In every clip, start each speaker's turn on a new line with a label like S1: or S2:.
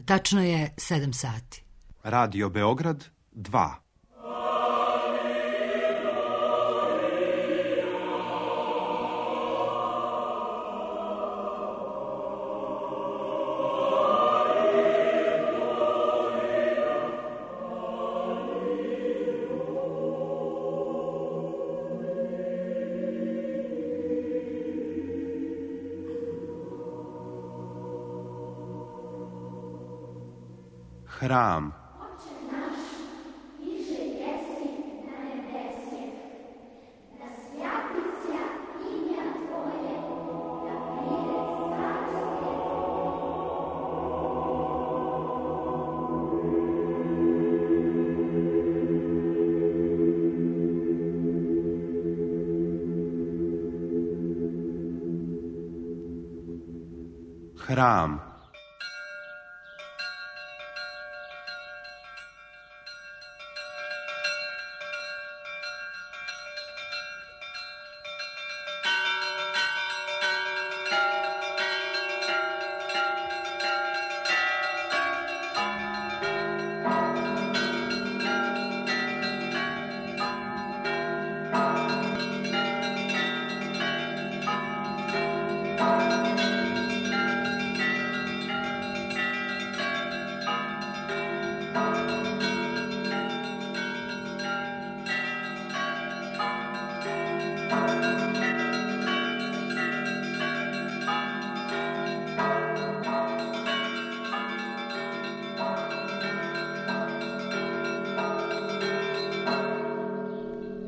S1: Tačno je 7 sati.
S2: Radio Beograd 2. Hram. Hram.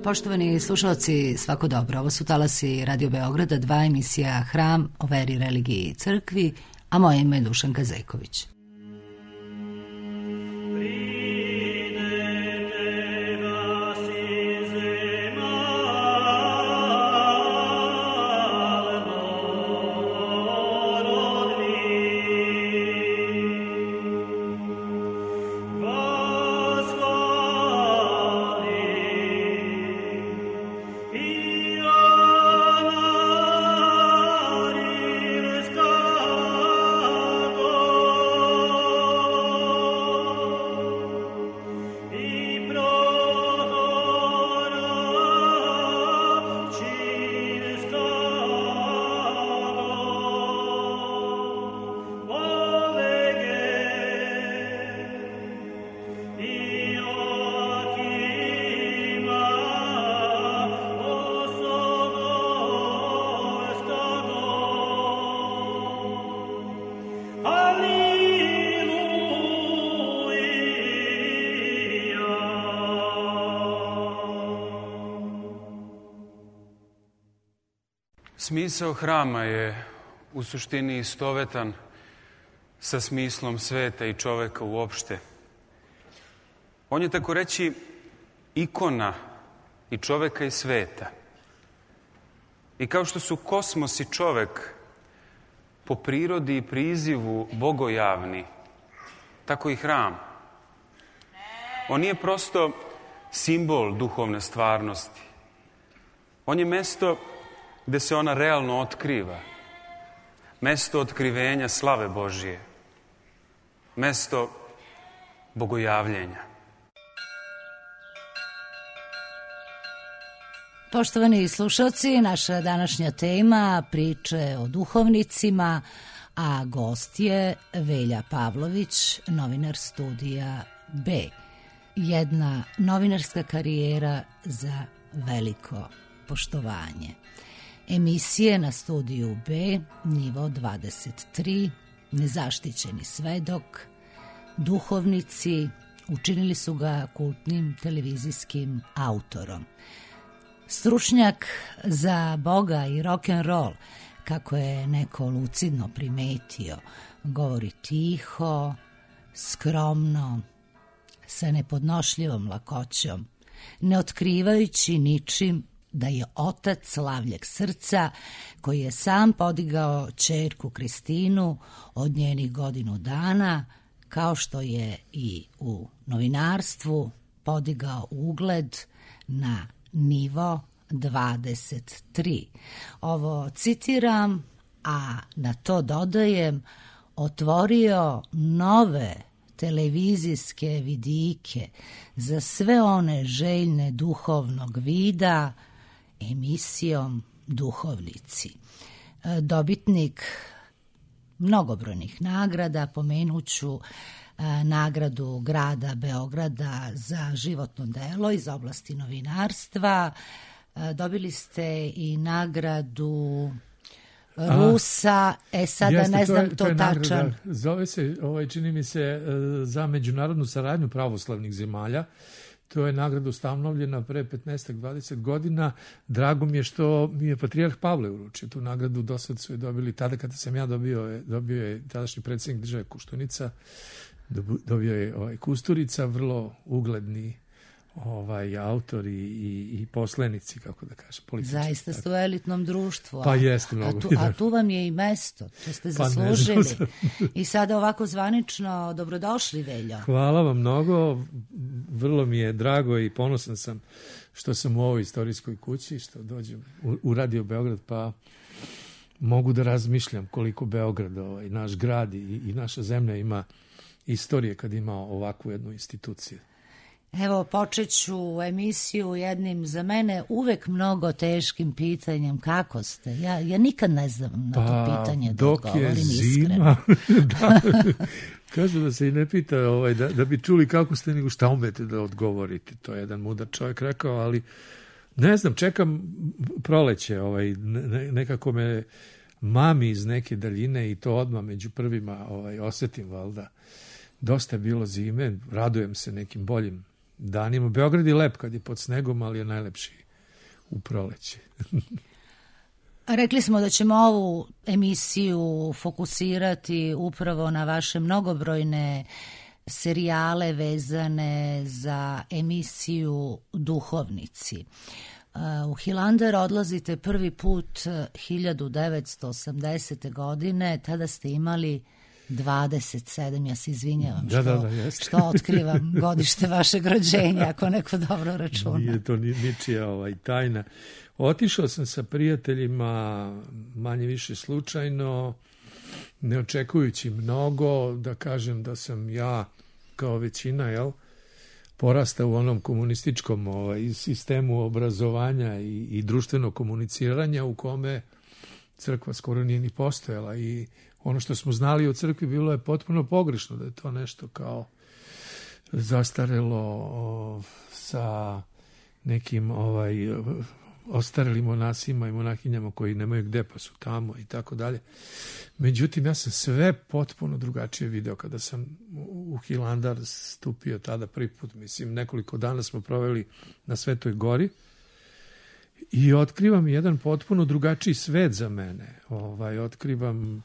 S1: Poštovani slušalci, svako dobro. Ovo su talasi Radio Beograda 2, emisija Hram o veri, religiji i crkvi, a moje ime je Dušanka Zejković.
S3: Smisao hrama je u suštini istovetan sa smislom sveta i čoveka uopšte. On je, tako reći, ikona i čoveka i sveta. I kao što su kosmos i čovek po prirodi i prizivu bogojavni, tako i hram. On nije prosto simbol duhovne stvarnosti. On je mesto gde se ona realno otkriva. Mesto otkrivenja slave Božije. Mesto bogojavljenja.
S1: Poštovani slušalci, naša današnja tema priče o duhovnicima, a gost je Velja Pavlović, novinar studija B. Jedna novinarska karijera za veliko poštovanje. Emisije na studiju B, nivo 23, nezaštićeni svedok, duhovnici, učinili su ga kultnim televizijskim autorom. Stručnjak za Boga i rock'n'roll, kako je neko lucidno primetio, govori tiho, skromno, sa nepodnošljivom lakoćom, ne otkrivajući ničim da je otac slavljeg srca koji je sam podigao ćerku Kristinu od njenih 1 godinu dana, kao što je i u novinarstvu podigao ugled na nivo 23. Ovo citiram, a na to dodajem, otvorio nove televizijske vidike za sve one željne duhovnog vida emisijom Duhovnici. Dobitnik mnogobrojnih nagrada, pomenuću nagradu grada Beograda za životno delo iz oblasti novinarstva. Dobili ste i nagradu Rusa, sada ne znam to tačan.
S4: Zove se, čini mi se, za međunarodnu saradnju pravoslavnih zemalja. To je nagrada ustanovljena pre 15-20 godina. Drago mi je što mi je patrijarh Pavle uručio tu nagradu. Do sad su je dobili, tada kada sam ja dobio je tadašnji predsjednik države Koštunica, dobio je Kusturica, vrlo ugledni autori i poslanici, kako da kažem, politički.
S1: Zaista ste u elitnom društvu.
S4: Pa jeste mnogo.
S1: A tu vam je i mesto, to ste zaslužili. I sada ovako zvanično dobrodošli, Veljo.
S4: Hvala vam mnogo, vrlo mi je drago i ponosan sam što sam u ovoj istorijskoj kući, što dođem u Radio Beograd, pa mogu da razmišljam koliko Beograd, naš grad i naša zemlja ima istorije kad ima ovakvu jednu instituciju.
S1: Evo, počet ću emisiju jednim za mene uvek mnogo teškim pitanjem. Kako ste? Ja nikad ne znam na to pitanje da odgovorim iskreno.
S4: Da, kažu da se i ne pita da bi čuli kako ste, nego šta umete da odgovorite. To je jedan mudar čovjek rekao, ali ne znam, čekam proleće. Nekako me mami iz neke daljine i to odmah među prvima osetim, valjda. Dosta je bilo zime, radujem se nekim boljim danima. Beograd je lep kad je pod snegom, ali je najlepši u proleće.
S1: Rekli smo da ćemo ovu emisiju fokusirati upravo na vaše mnogobrojne serijale vezane za emisiju Duhovnici. U Hilandar odlazite prvi put 1980. godine, tada ste imali 27, ja se izvinjavam što otkrivam godište vašeg rođenja, ako neko dobro računa.
S4: Nije to ničija tajna. Otišao sam sa prijateljima manje više slučajno, ne očekujući mnogo, da kažem da sam ja kao većina, porastao u onom komunističkom sistemu obrazovanja i društvenog komuniciranja u kome crkva skoro nije ni postojala i ono što smo znali o crkvi bilo je potpuno pogrešno, da je to nešto kao zastarelo sa nekim ostarelim monasima i monahinjama koji nemaju gde pa su tamo i tako dalje. Međutim, ja sam sve potpuno drugačije video kada sam u Hilandar stupio tada prvi put. Mislim, nekoliko dana smo proveli na Svetoj gori i otkrivam jedan potpuno drugačiji svet za mene. Otkrivam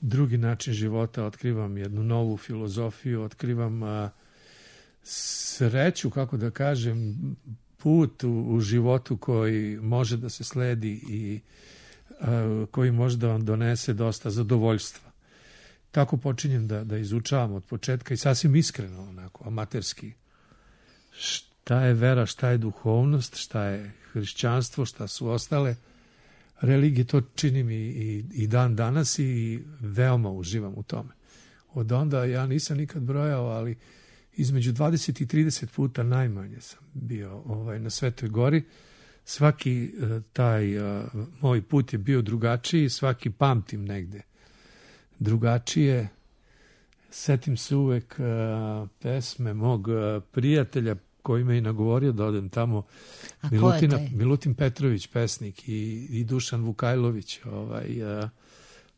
S4: drugi način života, otkrivam jednu novu filozofiju, otkrivam sreću, kako da kažem, put u životu koji može da se sledi i koji može da vam donese dosta zadovoljstva. Tako počinjem da izučavam od početka i sasvim iskreno, onako, amaterski. Šta je vera, šta je duhovnost, šta je hrišćanstvo, šta su ostale religije, to činim i dan danas i veoma uživam u tome. Od onda ja nisam nikad brojao, ali između 20 i 30 puta najmanje sam bio na Svetoj gori. Svaki taj moj put je bio drugačiji, svaki pamtim negde drugačije. Setim se uvek pesme mog prijatelja koji me i nagovorio da odem tamo. Milutin Petrović, pesnik, i Dušan Vukajlović,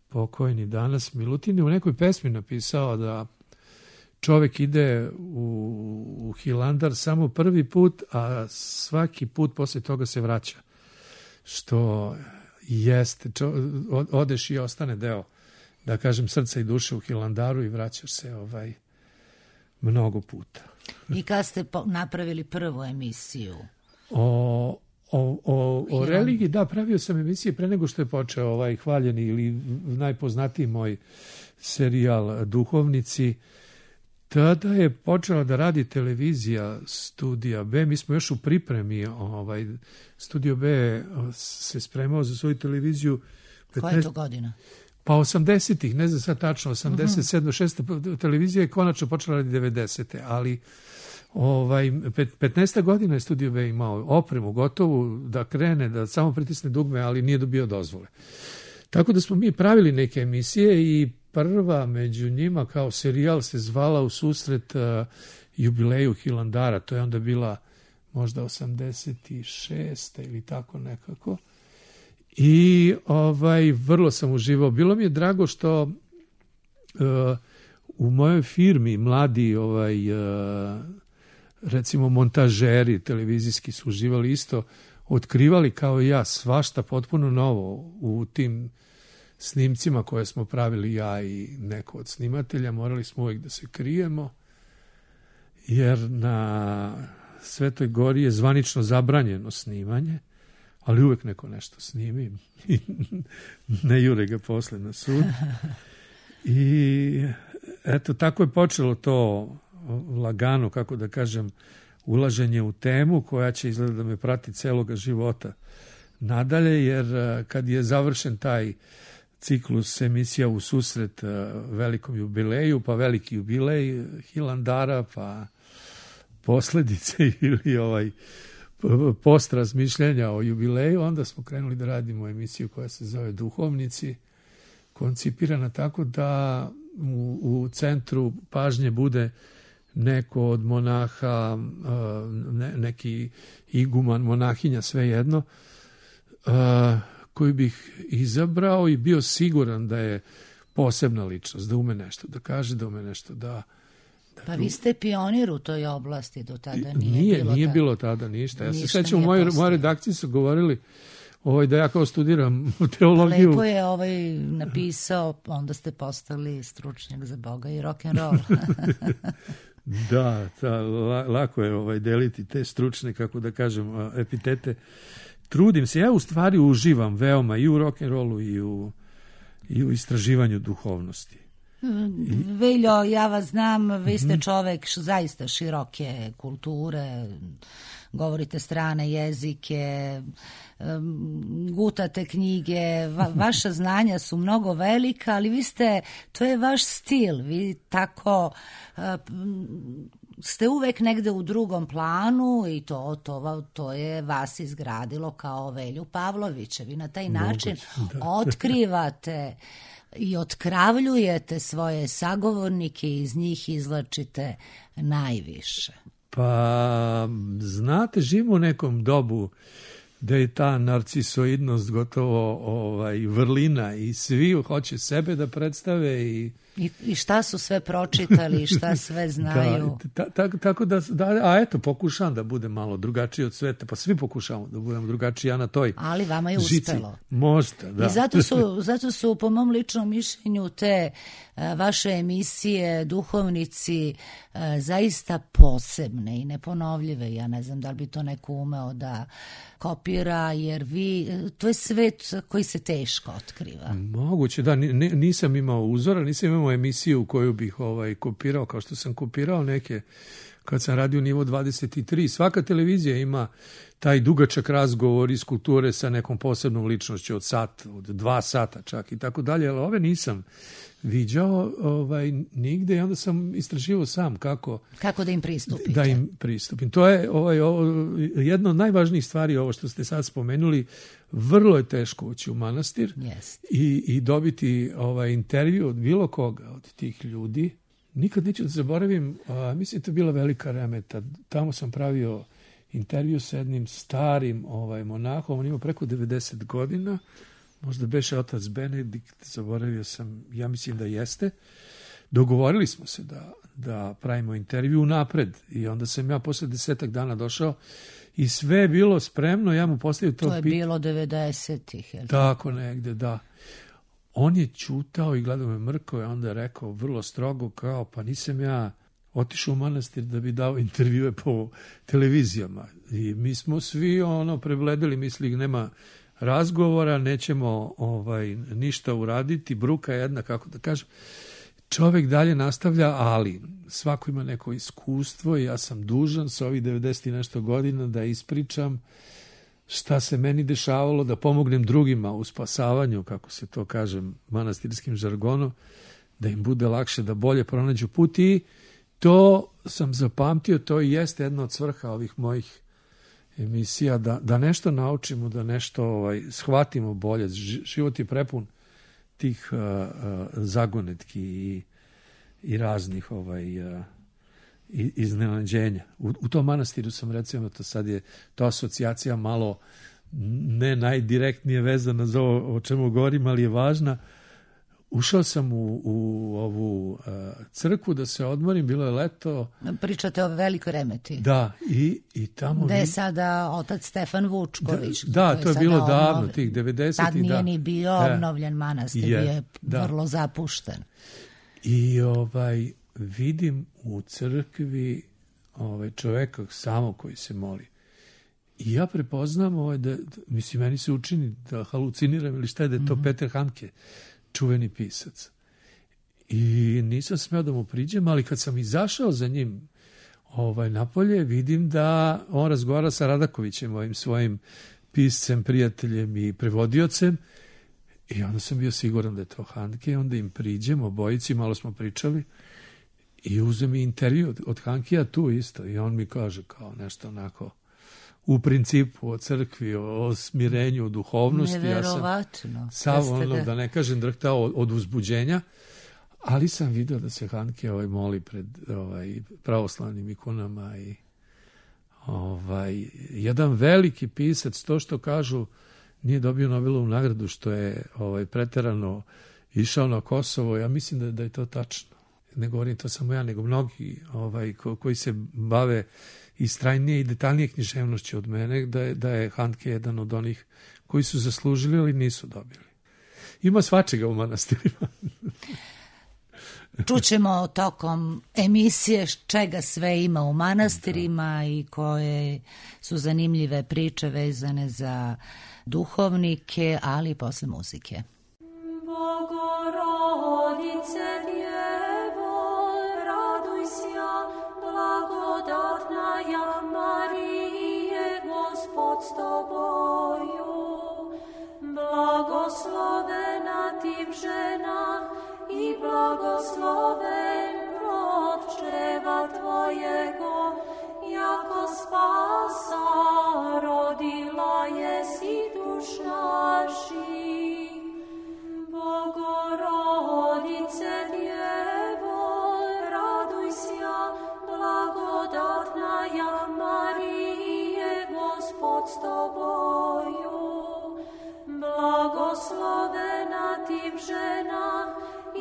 S4: pokojni danas. Milutin je u nekoj pesmi napisao da čovek ide u Hilandar samo prvi put, a svaki put posle toga se vraća. Što jeste, odeš i ostane deo, da kažem, srca i duše u Hilandaru i vraćaš se mnogo puta.
S1: I kad ste napravili prvu emisiju?
S4: O religiji, da, pravio sam emisije pre nego što je počeo hvaljeni ili najpoznatiji moj serijal Duhovnici. Tada je počela da radi televizija Studija B. Mi smo još u pripremi. Studio B se spremao za svoju televiziju.
S1: Koja je to godina?
S4: Pa 80-ih, ne znam sad tačno, 87. 6. televizija je konačno počela radi 90. Ali 15 godina je Studio B imao opremu gotovu da krene, da samo pritisne dugme, ali nije dobio dozvole. Tako da smo mi pravili neke emisije i prva među njima kao serijal se zvala U susret jubileju Hilandara. To je onda bila možda 86. ili tako nekako. I vrlo sam uživao. Bilo mi je drago što u mojoj firmi mladi recimo montažeri televizijski su uživali isto, otkrivali kao i ja svašta potpuno novo u tim snimcima koje smo pravili ja i neko od snimatelja. Morali smo uvijek da se krijemo, jer na Svetoj Gori je zvanično zabranjeno snimanje, ali uvijek neko nešto snimi i ne jure ga posle na sud. I eto, tako je počelo to lagano, kako da kažem, ulaženje u temu koja će izgleda da me prati celoga života nadalje, jer kad je završen taj ciklus emisija U susret velikom jubileju, pa veliki jubilej Hilandara, pa posljedice ili post razmišljanja o jubileju, onda smo krenuli da radimo emisiju koja se zove Duhovnici, koncipirana tako da u centru pažnje bude neko od monaha, neki iguman, monahinja, svejedno, koji bih izabrao i bio siguran da je posebna ličnost, da ume nešto da kaže, da ume nešto da...
S1: Pa vi ste pionir u toj oblasti, do tada nije
S4: bilo tada ništa. Ja se sećam, u mojoj redakciji su govorili da ja kao studiram teologiju.
S1: Lepo je napisao, onda ste postali stručnjak za Boga i rock'n'roll.
S4: Da, lako je deliti te stručne, kako da kažem, epitete. Trudim se, ja u stvari uživam veoma i u rock'n'rollu i u istraživanju duhovnosti.
S1: Veljo, ja vas znam, vi ste čovek zaista široke kulture, govorite strane jezike, gutate knjige, vaša znanja su mnogo velika, ali to je vaš stil, vi tako ste uvek negde u drugom planu i to je vas izgradilo kao Velju Pavlovića. Vi na taj način otkrivate i otkravljujete svoje sagovornike i iz njih izvlačite najviše.
S4: Pa, znate, živimo u nekom dobu da je ta narcisoidnost gotovo vrlina i svi hoće sebe da predstave
S1: I šta su sve pročitali i šta sve znaju.
S4: Tako da, a eto, pokušavam da budem malo drugačiji od sveta, pa svi pokušavamo da budemo drugačiji, ja na toj žici.
S1: Ali vama je uspelo.
S4: Možda, da.
S1: I zato su po mom ličnom mišljenju te vaše emisije Duhovnici zaista posebne i neponovljive. Ja ne znam da li bi to neko umeo da kopira, jer to je svet koji se teško otkriva.
S4: Moguće, da, nisam imao uzora, nisam imao emisiju koju bih kopirao, kao što sam kopirao neke kad sam radio Nivo 23. Svaka televizija ima taj dugačak razgovor iz kulture sa nekom posebnom ličnošću od sat, od 2 sata čak i tako dalje, ali ove nisam viđao nigde i onda sam istraživao sam kako
S1: da im pristupite.
S4: Da im pristupim. To je jedna od najvažnijih stvari, ovo što ste sad spomenuli. Vrlo je teško ući u manastir i dobiti intervju od bilo koga od tih ljudi. Nikad neću da zaboravim, mislim to je bila velika remeta. Tamo sam pravio intervju sa jednim starim monahom, on ima preko 90 godina, možda beše otac Benedikt, zaboravio sam, ja mislim da jeste. Dogovorili smo se da pravimo intervju napred i onda sam ja posle 10 dana došao i sve je bilo spremno, ja mu postavio to pitanje.
S1: To je bilo 90-ih.
S4: Tako negde, da. On je ćutao i gledao me mrko i onda je rekao vrlo strogo kao, pa nisam ja otišao u manastir da bi dao intervjue po televizijama. I mi smo svi prebledili, misli nema razgovora, nećemo ništa uraditi, bruka jedna, kako da kažem. Čovjek dalje nastavlja, ali svako ima neko iskustvo i ja sam dužan sa ovih 90 i nešto godina da ispričam šta se meni dešavalo da pomognem drugima u spasavanju, kako se to kaže manastirskim žargonom, da im bude lakše da bolje pronađu put i to sam zapamtio, to i jeste jedna od svrha ovih mojih emisija, da nešto naučimo, da nešto shvatimo bolje. Život je prepun tih zagonetki i raznih iznenađenja. U tom manastiru sam, recimo, to sad je to asocijacija malo ne najdirektnije vezana za ovo o čemu govorim, ali je važna. Ušao sam u ovu crkvu da se odmorim, bilo je leto.
S1: Pričate o Velikoj Remeti.
S4: Da, i tamo...
S1: Gde je sada otac Stefan Vučković.
S4: Da, to je bilo davno, tih 90-ih.
S1: Tad nije ni bio obnovljen manastir, bio je vrlo zapušten.
S4: I vidim u crkvi čoveka samo koji se moli. I ja prepoznam da, mislim, meni se učini da haluciniram ili šta je, da je to Peter Handke, čuveni pisac. I nisam smeo da mu priđem, ali kad sam izašao za njim napolje, vidim da on razgovara sa Radakovićem, ovim svojim piscem, prijateljem i prevodiocem. I onda sam bio siguran da je to Handke. Onda im priđem, obojici, malo smo pričali i uzem mi intervju od Hankija tu isto. I on mi kaže kao nešto onako u principu o crkvi, o smirenju, o duhovnosti.
S1: Neverovatno.
S4: Ja sam sav da ne kažem drhtao od uzbuđenja, ali sam vidio da se Handke moli pred pravoslavnim ikonama i jedan veliki pisac, to što kažu nije dobio Nobelovu nagradu što je preterano išao na Kosovo, ja mislim da je to tačno. Ne govorim to samo ja, nego mnogi koji se bave istrajnije i detaljnije književnošću od mene, da je Handke jedan od onih koji su zaslužili, ali nisu dobili. Ima svačega u manastirima.
S1: Čućemo tokom emisije čega sve ima u manastirima i koje su zanimljive priče vezane za duhovnike, ali i posle muzike.
S5: Bogorodice Djevo, raduj sja, blagodatna ja Marije, Gospod s tobою. Blagoslovena ti v ženah i blagosloven plod čreva tvojego, jako spasa rodila jesi duš naših. Bogorodice Djevo, raduj sja, blagodatna ja Marije, Gospod s tobою. Blagoslovena ti v ženah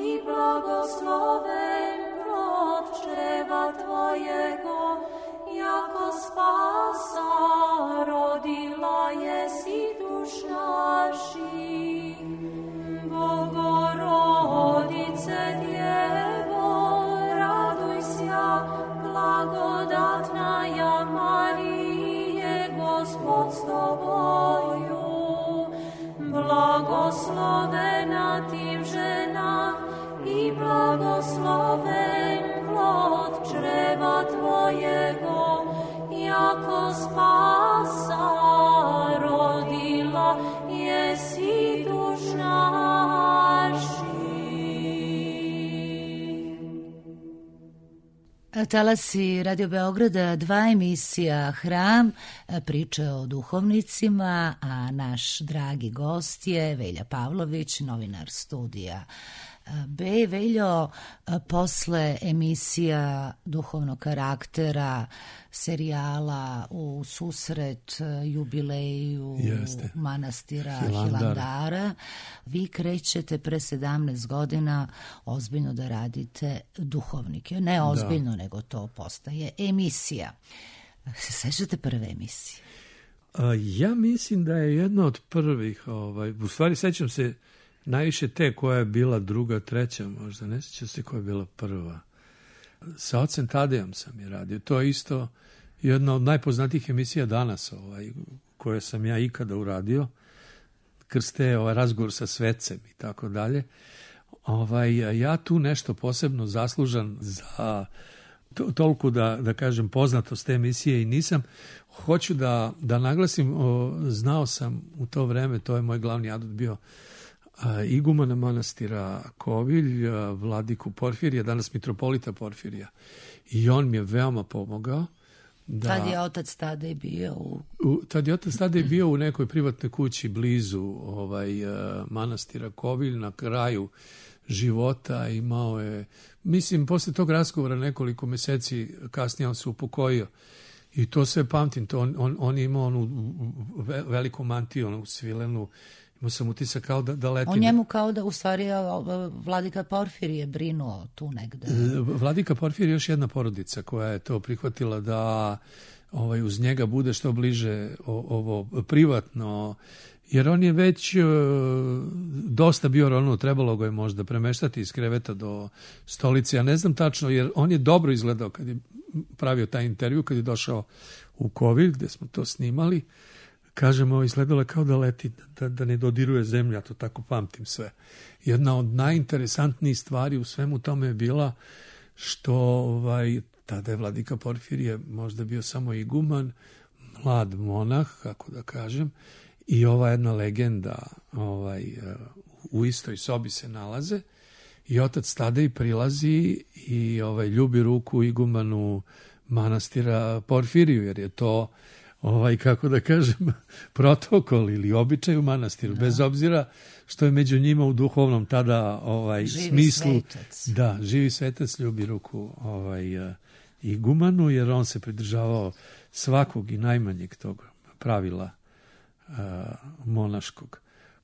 S5: i blagosloven plod čreva tvojego, jako spasa rodila jesi duš naših. Bogorodice Djevo, raduj sja, blagodatna ja Marije, Gospod s tobою. Blagoslovena ti v ženah i blagosloven plod čreva tvojego, jako spasa rodila jesi duš naših.
S1: Talasi Radio Beograda, 2 emisija Hram, priče o duhovnicima, a naš dragi gost je Velja Pavlović, novinar studija B. Veljo, posle emisija duhovnog karaktera, serijala u susret jubileju manastira Hilandara, vi krećete pre 17 godina ozbiljno da radite duhovnike. Ne ozbiljno, nego to postaje emisija. Se sećate prve emisije?
S4: Ja mislim da je jedna od prvih, u stvari sećam se najviše te koja je bila druga, treća možda, ne sjećam se koja je bila prva. Sa ocem Tadejom sam je radio. To je isto jedna od najpoznatijih emisija danas, koje sam ja ikada uradio. Krste, razgovor sa svecem i tako dalje. Ja tu nešto posebno zaslužan za toliko da kažem poznatost te emisije i nisam. Hoću da naglasim, znao sam u to vreme, to je moj glavni adut bio, igumana manastira Kovilj, vladiku Porfirija, danas mitropolita Porfirija. I on mi je veoma pomogao.
S1: Tad je otac Tadej bio
S4: Tad je otac Tadej bio u nekoj privatnoj kući blizu manastira Kovilj, na kraju života. Imao je, mislim, posle tog razgovora nekoliko meseci kasnije on se upokojio. I to sve pamtim. On je imao onu veliku mantiju, onu svilenu. Imao sam utisak kao da leti.
S1: O njemu kao da u stvari vladika Porfirije brinuo tu negde.
S4: Vladika Porfirije je još jedna porodica koja je to prihvatila da uz njega bude što bliže ovo privatno, jer on je već dosta bio trebalo ga je možda premeštati iz kreveta do stolice. Ja ne znam tačno, jer on je dobro izgledao kad je pravio taj intervju, kad je došao u Kovilj gde smo to snimali. Kažemo, izgledalo je kao da leti, da ne dodiruje zemlja, to tako pamtim sve. Jedna od najinteresantnijih stvari u svemu tome je bila što tada je vladika Porfirije možda bio samo iguman, mlad monah, kako da kažem, i ova jedna legenda u istoj sobi se nalaze i otac Tadej prilazi i ljubi ruku igumanu manastira Porfiriju, jer je to kako da kažem, protokol ili običaj u manastiru, bez obzira što je među njima u duhovnom tada
S1: živi
S4: smislu.
S1: Svetac.
S4: Da, živi svetac ljubi ruku igumanu, jer on se pridržavao svakog i najmanjeg tog pravila monaškog.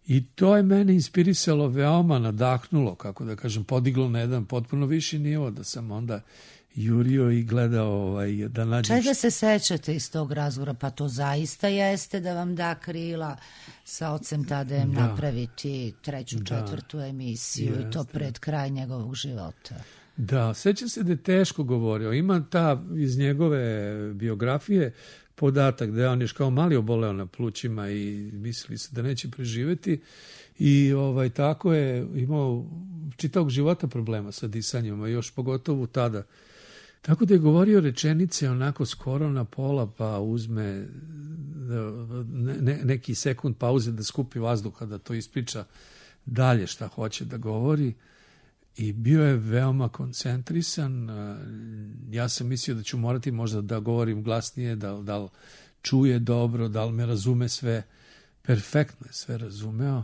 S4: I to je mene inspirisalo, veoma nadahnulo, kako da kažem, podiglo na jedan potpuno viši nivo, da sam onda jurio i gledao da nađem.
S1: Čega se sećate iz tog razgovora? Pa to zaista jeste da vam da krila sa ocem Tadejem napraviti treću, četvrtu emisiju i to pred kraj njegovog života.
S4: Da, sećam se da je teško govorio. Ima ta iz njegove biografije podatak da je on još kao mali oboleo na plućima i mislili se da neće preživeti i tako je imao čitavog života problema sa disanjem, a još pogotovo tada. Tako da je govorio rečenice onako skoro na pola, pa uzme neki sekund pauze da skupi vazduha, da to ispriča dalje šta hoće da govori. I bio je veoma koncentrisan. Ja sam mislio da ću morati možda da govorim glasnije, da li čuje dobro, da li me razume sve. Perfektno je sve razumeo.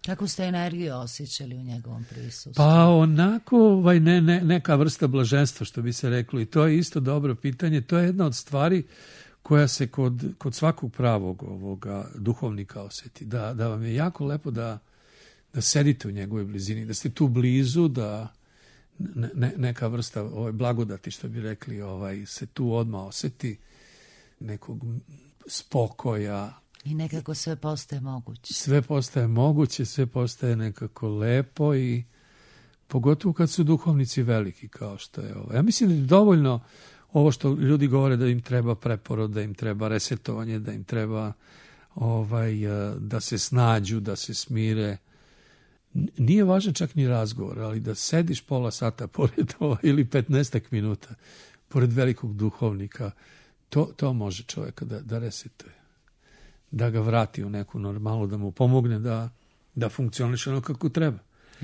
S1: Kako ste energiju osjećali u njegovom prisustvu?
S4: Pa onako neka vrsta blaženstva, što bi se reklo. I to je isto dobro pitanje. To je jedna od stvari koja se kod svakog pravog ovoga duhovnika osjeti. Da vam je jako lepo da sedite u njegovoj blizini, da ste tu blizu, da neka vrsta blagodati, što bi rekli, se tu odmah osjeti, nekog spokoja.
S1: I nekako sve postaje moguće.
S4: Sve postaje moguće, sve postaje nekako lepo i pogotovo kad su duhovnici veliki kao što je ovo. Ja mislim da je dovoljno ovo što ljudi govore da im treba preporod, da im treba resetovanje, da im treba da se snađu, da se smire. Nije važan čak ni razgovor, ali da sediš pola sata pored ili 15 minuta pored velikog duhovnika, to može čovjeka da resetuje, da ga vrati u neku normalu, da mu pomogne da funkcioniše ono kako treba.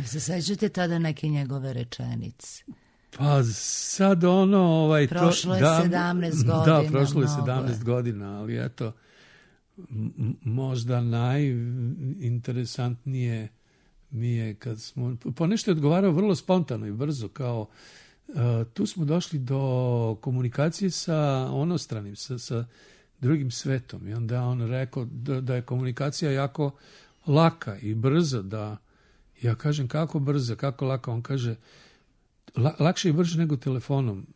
S1: Se sećate tada neke njegove rečenice?
S4: Pa sad
S1: prošlo je 17 godina.
S4: Da, prošlo je 17 godina, ali eto, možda najinteresantnije mi je kad smo, ponešto je odgovarao vrlo spontano i brzo, kao tu smo došli do komunikacije sa onostranim, sa drugim svetom, i onda on rekao da je komunikacija jako laka i brza, da ja kažem kako brza, kako laka, on kaže lakše i brže nego telefonom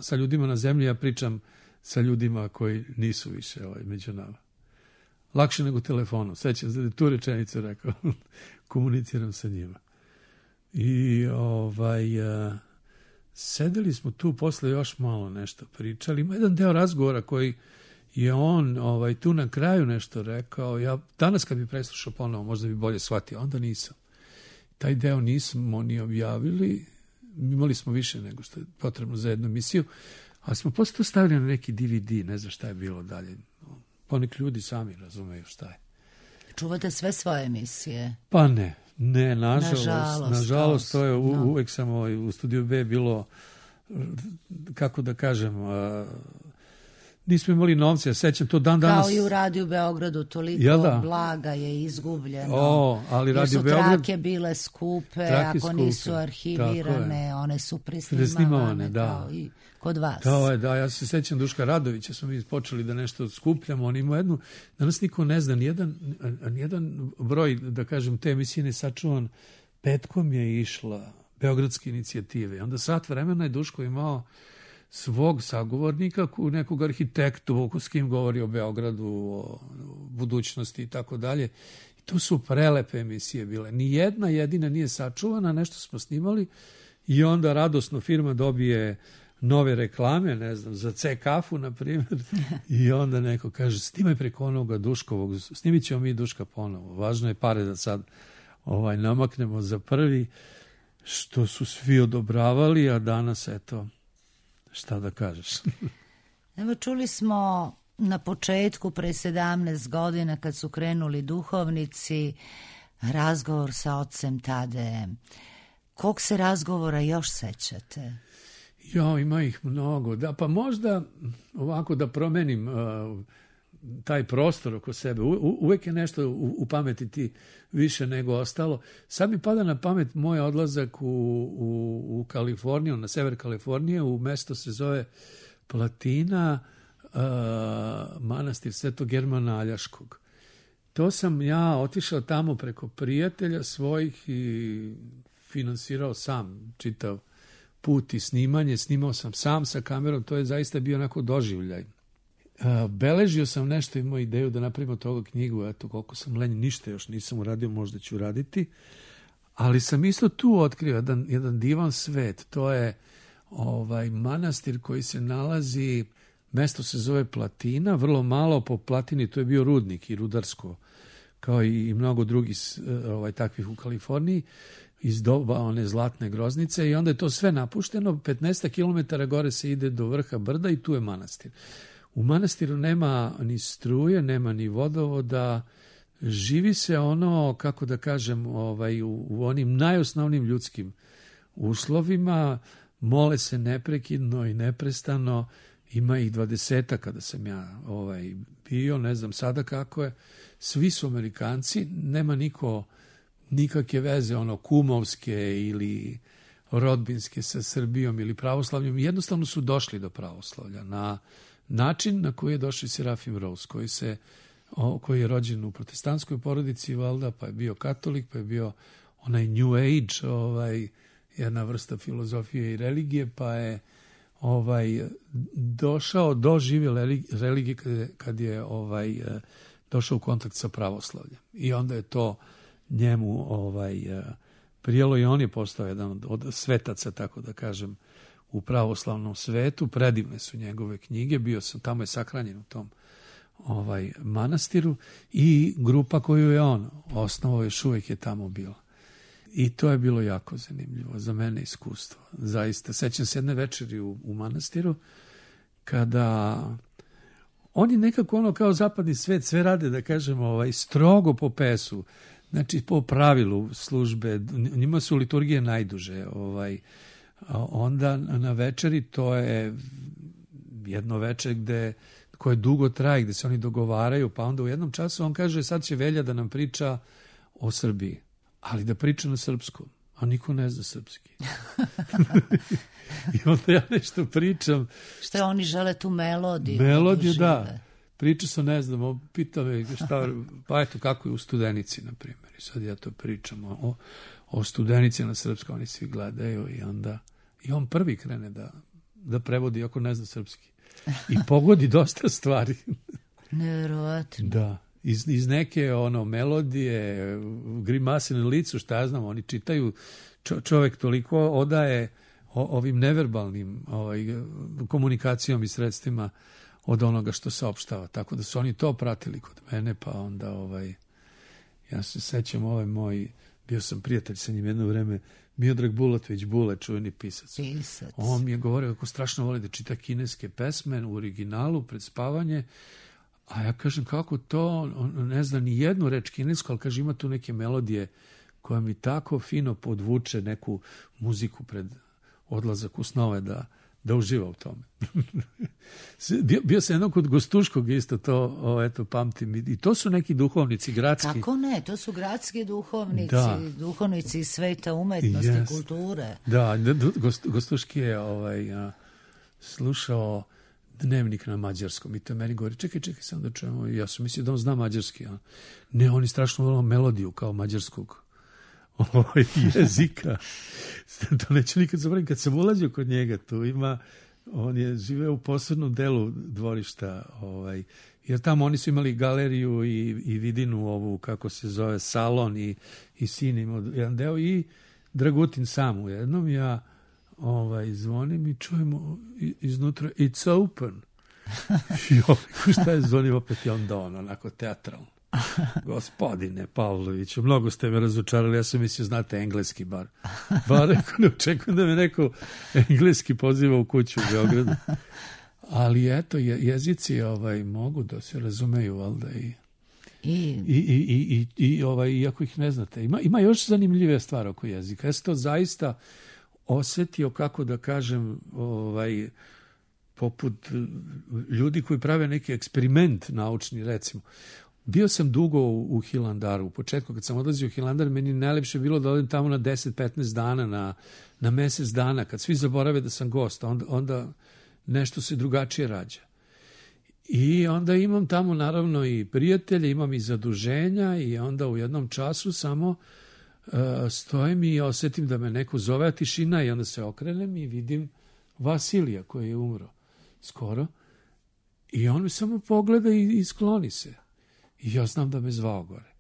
S4: sa ljudima na zemlji, ja pričam sa ljudima koji nisu više među nama. Lakše nego telefonom. Sećam se da je tu rečenicu rekao. Komuniciram sa njima. I sedeli smo tu, posle još malo nešto pričali. Ima jedan deo razgovora koji je on tu na kraju nešto rekao. Ja danas kad bi preslušao ponovo, možda bi bolje shvatio. Onda nisam. Taj deo nismo ni objavili. imali smo više nego što je potrebno za jednu emisiju, ali smo posle to stavili na neki DVD, ne znam šta je bilo dalje. Poneki ljudi sami razumeju šta je.
S1: Čuvate sve svoje emisije?
S4: Pa ne, nažalost to je uvek samo u Studiju B bilo, kako da kažem, nismo imali novce, ja sećam to dan danas.
S1: Kao i u Radiju Beogradu, toliko blaga je izgubljeno.
S4: Ali
S1: jer
S4: Radio
S1: su
S4: Beograd,
S1: trake bile skupe, ako nisu arhivirane, one su presnimavane, kao i kod vas.
S4: Da, ja se sećam Duška Radovića, smo mi počeli da nešto skupljamo, on ima jednu, danas niko ne zna, nijedan broj, da kažem, te emisije ne sačuvan, petkom je išla Beogradske inicijative. Onda sat vremena je Duško imao svog sagovornika, nekog arhitektu s kim govori o Beogradu, o budućnosti i tako dalje. I to su prelepe emisije bile. Ni jedna jedina nije sačuvana, nešto smo snimali i onda radosno firma dobije nove reklame, ne znam, za C kafu, na primjer, i onda neko kaže, snimaj preko onoga Duškovog, snimit ćemo mi Duška ponovo. Važno je pare da sad namaknemo za prvi, što su svi odobravali, a danas, eto, šta da kažeš?
S1: Evo, čuli smo na početku, pre 17 godina, kad su krenuli duhovnici, razgovor sa ocem Tadejem. Kog se razgovora još sećate?
S4: Ima ih mnogo. Da, pa možda ovako da promenim taj prostor oko sebe. Uvek je nešto u pameti ti više nego ostalo. Sad mi pada na pamet moj odlazak u Kaliforniju, na sever Kalifornije, u mesto se zove Platina, manastir Svetog Germana Aljaškog. To sam ja otišao tamo preko prijatelja svojih i finansirao sam čitav put i snimanje. Snimao sam sam sa kamerom, to je zaista bio onako doživljaj. Beležio sam nešto, imao ideju da napravimo toga knjigu, eto koliko sam lenj, ništa još nisam uradio, možda ću raditi, ali sam isto tu otkrio jedan divan svet. To je manastir koji se nalazi, mesto se zove Platina, vrlo malo po Platini, to je bio rudnik i rudarsko, kao i mnogo drugih takvih u Kaliforniji, iz doba one zlatne groznice, i onda je to sve napušteno, 15 km gore se ide do vrha brda i tu je manastir. U manastiru nema ni struje, nema ni vodovoda, živi se ono, kako da kažem, u onim najosnovnim ljudskim uslovima, mole se neprekidno i neprestano, ima ih 20 kada sam ja bio, ne znam sada kako je, svi su Amerikanci, nema niko nikakve veze, kumovske ili rodbinske sa Srbijom ili pravoslavljom, jednostavno su došli do pravoslavlja na način na koji je došao Serafim Rose, koji je rođen u protestantskoj porodici, valjda, pa je bio katolik, pa je bio onaj New Age, jedna vrsta filozofije i religije, pa je došao do žive religije kad je došao u kontakt sa pravoslavljem. I onda je to njemu prijelo i on je postao jedan od svetaca, tako da kažem, u pravoslavnom svetu. Predivne su njegove knjige, bio sam, tamo je sahranjen u tom manastiru, i grupa koju je on osnovao još uvijek je tamo bila. I to je bilo jako zanimljivo za mene iskustvo. Zaista, sećam se jedne večeri u manastiru, kada oni nekako kao zapadni svet sve rade, da kažem, strogo po pesu, znači po pravilu službe, njima su liturgije najduže, onda na večeri, to je jedno večer koje dugo traje, gde se oni dogovaraju, pa onda u jednom času on kaže, sad će Velja da nam priča o Srbiji, ali da priča na srpskom, a niko ne zna srpski. I onda ja nešto pričam.
S1: Što oni žele tu melodiju?
S4: Melodiju, da. Priča sam, ne znam, pita me šta, pa eto kako je u Studenici, na primjer. I sad ja to pričam o Studenici na srpskom, oni svi gledaju i onda i on prvi krene da prevodi, ako ne zna srpski. I pogodi dosta stvari.
S1: Nevjerovatno.
S4: Da. Iz neke melodije, grimase na licu, šta ja znam, oni čitaju, čovek toliko odaje ovim neverbalnim komunikacijom i sredstvima od onoga što saopštava. Tako da su oni to pratili kod mene, pa onda ja se sećam bio sam prijatelj sa njim jedno vreme, Miodrag Bulatović, Bule, čuveni pisac.
S1: Pisac.
S4: On mi je govorio kako strašno voli da čita kineske pesme u originalu pred spavanje, a ja kažem kako to, on ne zna ni jednu reč kinesku, ali kaže ima tu neke melodije koja mi tako fino podvuče neku muziku pred odlazak u snove da uživa u tome. Bio sam jednom kod Gostuškog isto to, eto, pamtim. I to su neki duhovnici gradski.
S1: Kako ne, to su gradski duhovnici, duhovnici iz sveta umetnosti, kulture.
S4: Da, Gostuški je slušao dnevnik na mađarskom i to meni govori, čekaj, sam da čujemo. Ja sam mislio da on zna mađarski. Ne, on je strašno volao melodiju kao mađarskog jezika. To neću nikad zaboraviti. Kad sam ulazio kod njega, tu ima, on je živeo u posebnom delu dvorišta, jer tamo oni su imali galeriju i vidinu ovu, kako se zove, salon i sin imao jedan deo i Dragutin sam u jednom. Ja zvonim i čujemo iznutra it's open. Šta je zvonim opet i onda onako teatralno. Gospodine Pavloviću, mnogo ste me razočarali, ja sam mislio, znate engleski bar. Rekao, ne očekujem da me neko engleski poziva u kuću u Beogradu. Ali eto, jezici mogu da se razumeju, valjda iako ih ne znate. Ima još zanimljive stvari oko jezika. Ja sam to zaista osetio, kako da kažem, poput ljudi koji prave neki eksperiment naučni, recimo. Bio sam dugo u Hilandaru. U početku, kad sam odlazio u Hilandar, meni najlepše bilo da odem tamo na 10-15 dana, na mesec dana, kad svi zaborave da sam gost, onda nešto se drugačije rađa. I onda imam tamo naravno i prijatelje, imam i zaduženja i onda u jednom času samo stojim i osetim da me neko zove, a tišina, i onda se okrenem i vidim Vasilija koji je umro skoro i on me samo pogleda i skloni se. I ja znam da me zvao gore.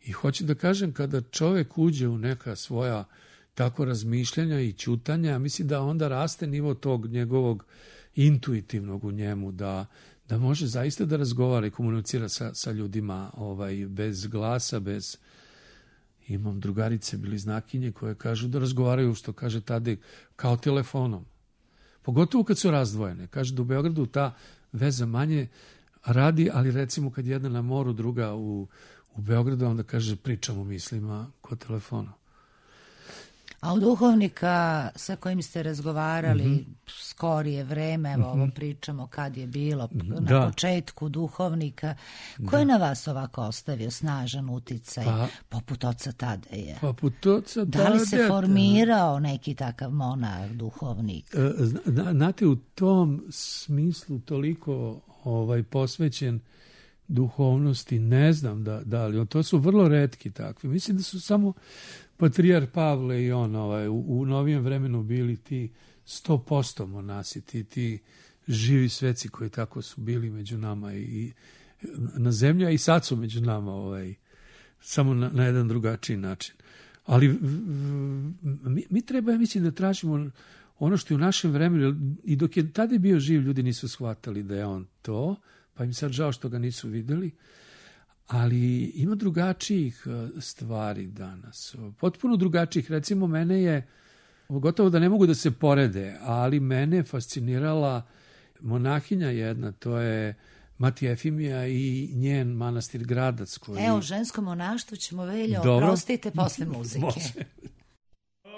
S4: I hoću da kažem, kada čovek uđe u neka svoja tako razmišljanja i ćutanja, mislim da onda raste nivo tog njegovog intuitivnog u njemu, da može zaista da razgovara i komunicira sa ljudima bez glasa, bez... Imam drugarice, bliznakinje, koje kažu da razgovaraju, što kaže Tadej, kao telefonom. Pogotovo kad su razdvojene. Kaže da u Beogradu ta veza manje radi, ali recimo kad jedna na moru, druga u Beogradu, onda kaže pričamo mislima kod telefona.
S1: A od duhovnika sa kojim ste razgovarali skorije vreme, evo ovo pričamo kad je bilo, na početku duhovnika, ko je na vas ovako ostavio snažan uticaj, poput oca Tadeja? Da li se formirao neki takav monah, duhovnik?
S4: Znate, u tom smislu toliko posvećen duhovnosti, ne znam da li, to su vrlo retki takvi. Mislim da su samo patrijar Pavle i on u novijem vremenu bili ti 100% monasi, ti živi sveci koji tako su bili među nama i na zemlji, a i sad su među nama, samo na jedan drugačiji način. Ali mi treba, ja mislim, da tražimo ono što je u našem vremenu, i dok je tada bio živ, ljudi nisu shvatali da je on to, pa im sad žao što ga nisu videli, ali ima drugačijih stvari danas, potpuno drugačijih. Recimo, mene je, gotovo da ne mogu da se porede, ali mene je fascinirala monahinja jedna, to je Mati Efimija i njen manastir Gradac.
S1: Evo, žensko monaštvo ćemo, Veljo, oprostite, posle muzike. Može.
S6: Oh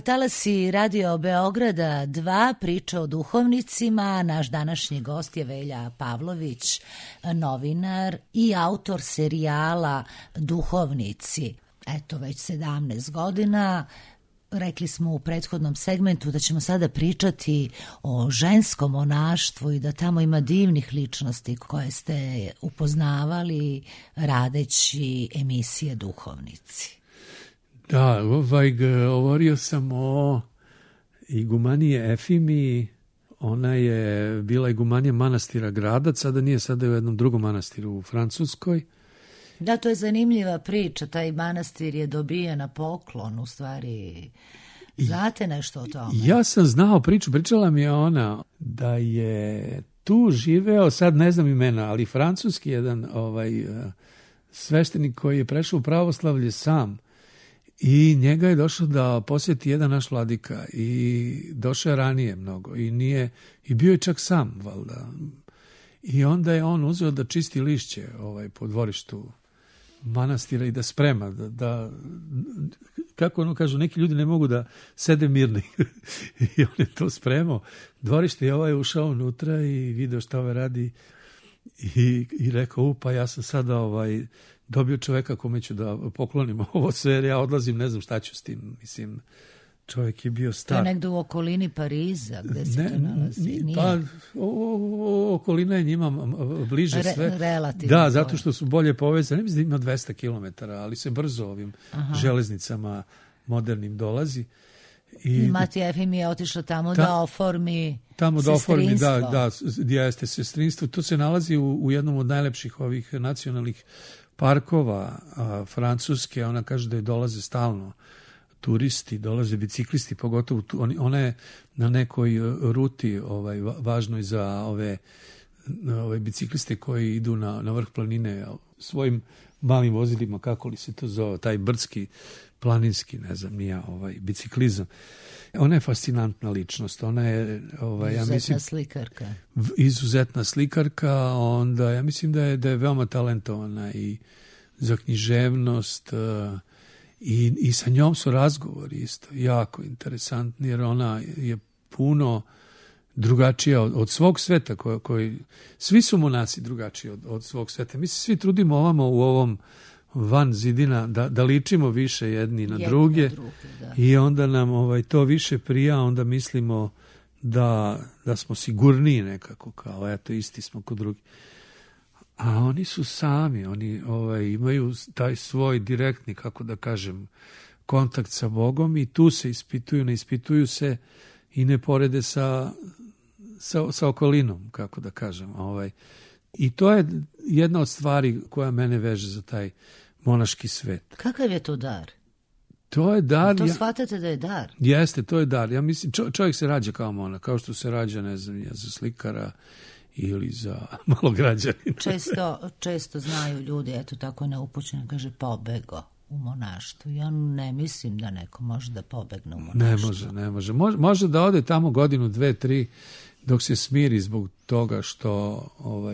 S1: talasi Radio Beograda 2, priča o duhovnicima. Naš današnji gost je Velja Pavlović, novinar i autor serijala Duhovnici. Eto, već 17 godina. Rekli smo u prethodnom segmentu da ćemo sada pričati o ženskom monaštvu i da tamo ima divnih ličnosti koje ste upoznavali radeći emisije Duhovnici.
S4: Da, govorio sam o igumaniji Efimiji. Ona je bila igumanija manastira Gradac, sada nije, sada je u jednom drugom manastiru u Francuskoj.
S1: Da, to je zanimljiva priča, taj manastir je dobijen na poklon, u stvari. Znate nešto o tome?
S4: Ja sam znao priču, pričala mi je ona da je tu živeo, sad ne znam imena, ali francuski jedan sveštenik koji je prešao u pravoslavlje sam i njega je došao da posjeti jedan naš vladika i došao je ranije mnogo i bio je čak sam, valjda. I onda je on uzeo da čisti lišće po dvorištu manastira i da sprema, da kako ono kažu, neki ljudi ne mogu da sede mirni. I on je to spremao. Dvorište je ušao unutra i video šta radi i rekao, pa ja sam sada dobio čoveka kome ću da poklonim ovo sve, jer ja odlazim, ne znam šta ću s tim. Mislim, čovjek je bio star.
S1: To je negdje u okolini Pariza, gde se to nalazi?
S4: Pa, okolina je njima bliže sve.
S1: Relativno.
S4: Da, zato što su bolje povezani. Ne mislim da ima 200 km, ali se brzo ovim železnicama modernim dolazi.
S1: I Matija Efim je otišla tamo da oformi sestrinstvo.
S4: Da, jeste sestrinstvo. To se nalazi u jednom od najlepših ovih nacionalnih parkova Francuske. Ona kaže da je dolaze stalno turisti, dolaze biciklisti, pogotovo ona je na nekoj ruti važnoj za ove bicikliste koji idu na vrh planine svojim malim vozilima, kako li se to zove, taj brdski, planinski, ne znam, nije biciklizam. Ona je fascinantna ličnost. Ona je,
S1: izuzetna slikarka.
S4: Izuzetna slikarka, onda ja mislim da je veoma talentovana i za književnost, i sa njom su razgovori isto jako interesantni, jer ona je puno drugačija od svog sveta, koji svi su monasi drugačiji od svog sveta. Mi se svi trudimo ovamo u ovom van zidina da ličimo više jedni na druge i onda nam to više prija, onda mislimo da smo sigurniji nekako, kao eto isti smo kod drugih. A oni su sami, oni imaju taj svoj direktni, kako da kažem, kontakt sa Bogom i tu se ispituju, ne ispituju se i ne porede sa okolinom, kako da kažem. I to je jedna od stvari koja mene veže za taj monaški svet.
S1: Kakav je to dar?
S4: To je dar.
S1: To shvatate da je dar?
S4: Jeste, to je dar. Ja mislim, čovjek se rađa kao monah, kao što se rađa, ne znam, za slikara ili za malograđanina.
S1: Često znaju ljudi, eto tako neupućeno, kaže pobego u monaštvu. Ja ne mislim da neko može da pobegne u monaštvu.
S4: Ne može. Može da ode tamo godinu, 2, 3, dok se smiri zbog toga što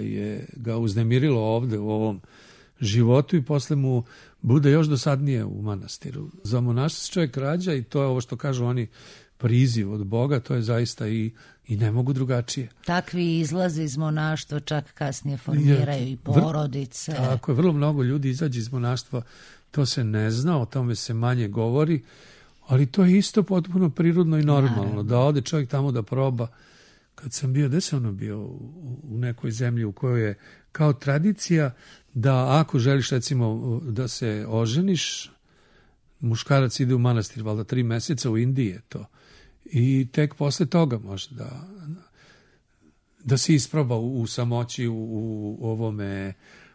S4: je ga uznemirilo ovde u ovom životu i posle mu bude još dosadnije u manastiru. Za monaštvo se čovjek rađa i to je ovo što kažu oni, priziv od Boga, to je zaista i ne mogu drugačije.
S1: Takvi izlazi iz monaštva čak kasnije formiraju i porodice.
S4: Tako je, vrlo mnogo ljudi izađe iz monaštva, to se ne zna, o tome se manje govori, ali to je isto potpuno prirodno i normalno, da ode čovjek tamo da proba. Kad sam bio, gde sam bio u nekoj zemlji u kojoj je kao tradicija da ako želiš recimo da se oženiš, muškarac ide u manastir, valjda 3 meseca, u Indiji je to. I tek posle toga može da se isproba u samoći, u ovome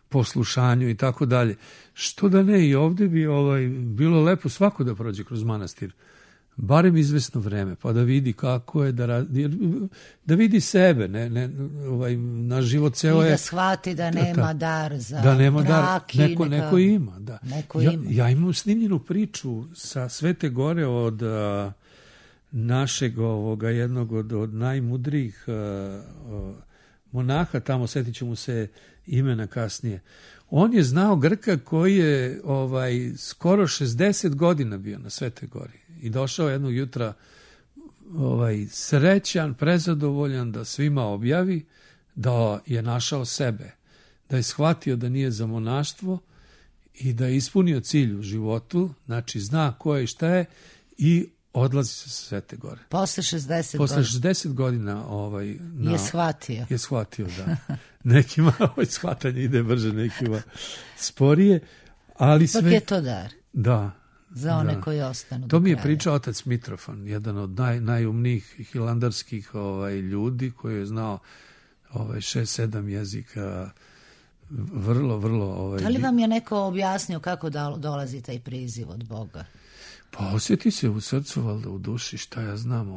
S4: poslušanju i tako dalje. Što da ne, i ovdje bi bilo lepo svako da prođe kroz manastir, barem izvesno vreme, pa da vidi kako je, da vidi sebe, naš život ceo je...
S1: I da shvati da nema dar za brak.
S4: Neko ima, da. Ja imam snimljenu priču sa Svete Gore od našeg jednog od najmudrijih monaha, tamo setit ću mu se imena kasnije. On je znao Grka koji je skoro 60 godina bio na Svete Gori. I došao jednog jutra srećan, prezadovoljan da svima objavi da je našao sebe, da je shvatio da nije za monaštvo i da je ispunio cilj u životu, znači zna ko je i šta je i odlazi se sa Svete Gore.
S1: Posle 60
S4: Posle
S1: godina.
S4: 60 godina
S1: Je shvatio.
S4: Je shvatio, da. Nekima shvatanje ide brže, nekima sporije, ali sve...
S1: Ipak je to dar.
S4: Da.
S1: Za one koji ostanu.
S4: To mi je pričao otac Mitrofan, jedan od najumnijih hilandarskih ljudi koji je znao 6-7 jezika, vrlo...
S1: Da li vam je neko objasnio kako dolazi taj priziv od Boga?
S4: Pa osjeti se u srcu, valjda u duši, šta ja znam,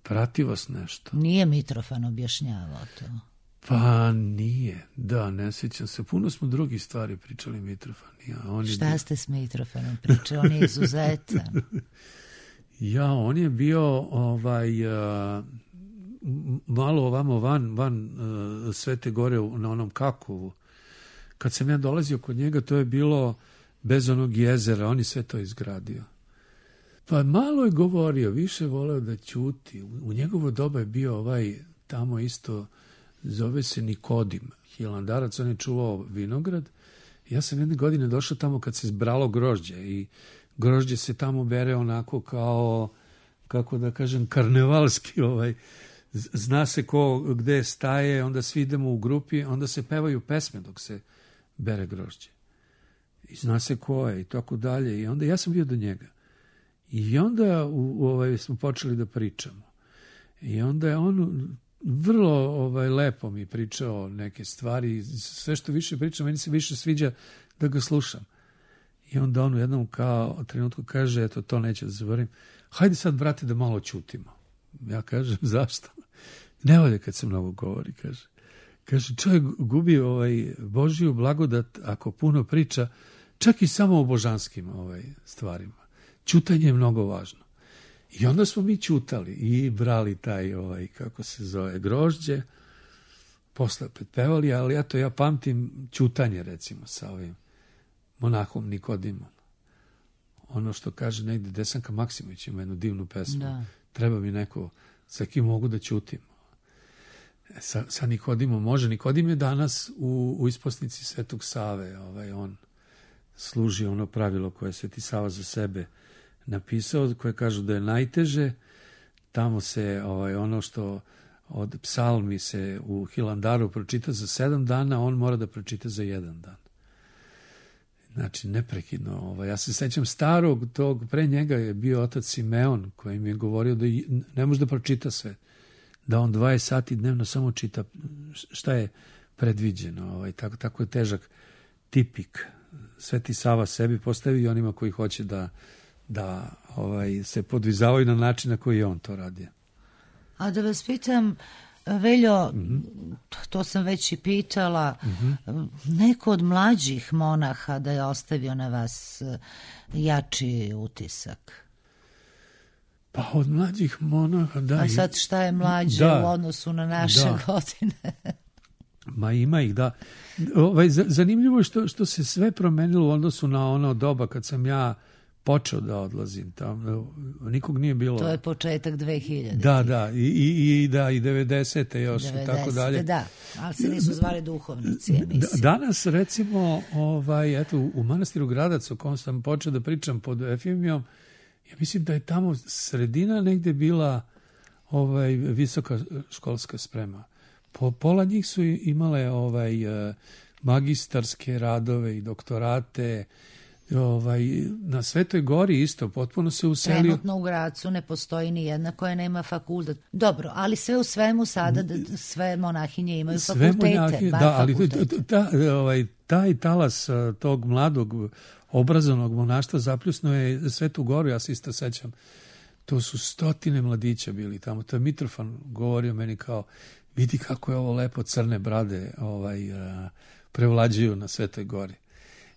S4: prati vas nešto.
S1: Nije Mitrofan objašnjavao to?
S4: Pa nije, da, ne sjećam se. Puno smo drugih stvari pričali Mitrofan.
S1: Šta ste s Mitrofanom pričali? On je izuzetan.
S4: On je bio malo ovamo van Svete Gore na onom Kakovu. Kad sam ja dolazio kod njega, to je bilo bez onog jezera, on je sve to izgradio. Pa malo je govorio, više voleo da ćuti. U njegovo doba je bio tamo isto, zove se Nikodim, hilandarac, on je čuvao vinograd. Ja sam jedne godine došao tamo kad se zbralo grožđe i grožđe se tamo bere onako kao, kako da kažem, karnevalski, zna se ko gde staje, onda svi idemo u grupi, onda se pevaju pesme dok se bere grožđe. I zna se ko je i tako dalje. I onda ja sam bio do njega. I onda smo počeli da pričamo. I onda je on vrlo lepo mi pričao neke stvari. Sve što više pričam, meni se više sviđa da ga slušam. I onda on u jednom trenutku kaže, eto, to neću da zaboravim, hajde sad, brate, da malo ćutimo. Ja kažem, zašto? Ne volje kad se mnogo govori, kaže. Kaže, čovjek gubi Božiju blagodat ako puno priča, čak i samo o božanskim stvarima. Ćutanje je mnogo važno. I onda smo mi ćutali i brali taj, kako se zove, grožđe, posle opet pevali, ali ja pamtim ćutanje, recimo, sa ovim monahom Nikodimom. Ono što kaže negdje Desanka Maksimović ima jednu divnu pesmu. Da. Treba mi neko sa kim mogu da ćutim. Sa Nikodimom može. Nikodim je danas u isposnici Svetog Save. On služi ono pravilo koje je Sveti Sava za sebe napisao, koje kažu da je najteže. Tamo se ono što od psalmi se u Hilandaru pročita za 7 dana, on mora da pročita za 1 dan. Znači, neprekidno. Ja se sećam starog tog, pre njega je bio otac Simeon, koji mi je govorio da ne može da pročita sve. Da on 20 sati dnevno samo čita šta je predviđeno. Tako je težak tipik. Sveti Sava sebi postavi i onima koji hoće da se podvizavaju na način na koji je on to radio.
S1: A da vas pitam, Veljo, to sam već i pitala, neko od mlađih monaha da je ostavio na vas jači utisak?
S4: Pa od mlađih monaha, da.
S1: A sad šta je mlađe u odnosu na naše godine?
S4: Ma ima ih, da. Zanimljivo je što se sve promenilo u odnosu na ono doba kad sam ja počeo da odlazim tamo. Nikog nije bilo.
S1: To je početak 2000.
S4: Da, i 90. još 90, i tako dalje.
S1: Da, ali se nisu zvali duhovnici emisije.
S4: Danas, recimo, eto, u manastiru Gradac, o kom sam počeo da pričam pod Efimijom, ja mislim da je tamo sredina negde bila visoka školska sprema. Pola njih su imale magistarske radove i doktorate. Na Svetoj Gori isto, potpuno se uselio.
S1: Trenutno u Gracu ne postoji ni jedna koja nema fakultet. Dobro, ali sve u svemu sada sve monahinje imaju fakultete.
S4: Da, ali taj talas tog mladog obrazovnog monaštva zapljusno je Svetu Goru, ja se isto sećam. To su 100 mladića bili tamo. To je Mitrofan govorio meni kao, vidi kako je ovo lepo, crne brade prevlađuju na Svetoj Gori.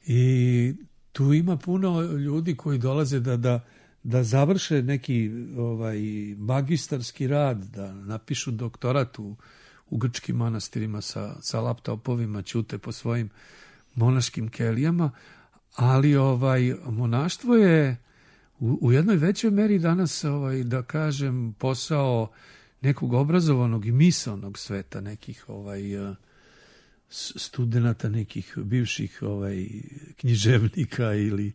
S4: I tu ima puno ljudi koji dolaze da završe neki magistarski rad, da napišu doktorat u grčkim manastirima sa laptopovima, ćute po svojim monaškim kelijama, ali monaštvo je u jednoj većoj meri danas, da kažem, posao nekog obrazovanog i misaonog sveta, nekih studenata, nekih bivših književnika ili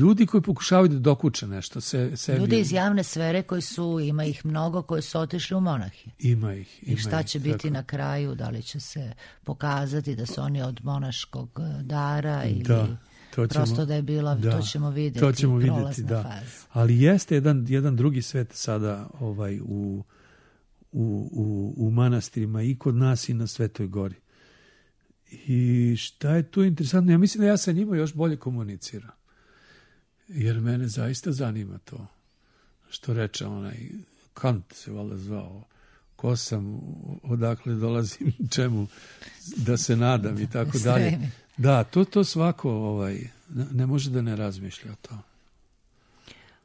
S4: ljudi koji pokušavaju da dokuče nešto sebi.
S1: Ljudi iz javne sfere ima ih mnogo koji su otišli u monahi.
S4: Ima ih.
S1: I šta će biti na kraju, da li će se pokazati da su oni od monaškog dara ili prosto da je bila, to ćemo vidjeti.
S4: To ćemo vidjeti, da.
S1: Faza.
S4: Ali jeste jedan drugi svet sada u manastirima i kod nas i na Svetoj Gori. I šta je tu interesantno? Ja mislim da ja sa njima još bolje komuniciram. Jer mene zaista zanima to. Što reče onaj Kant se valjda zvao. Ko sam, odakle dolazim, čemu da se nadam i tako dalje. Da, to svako ne može da ne razmišlja o to.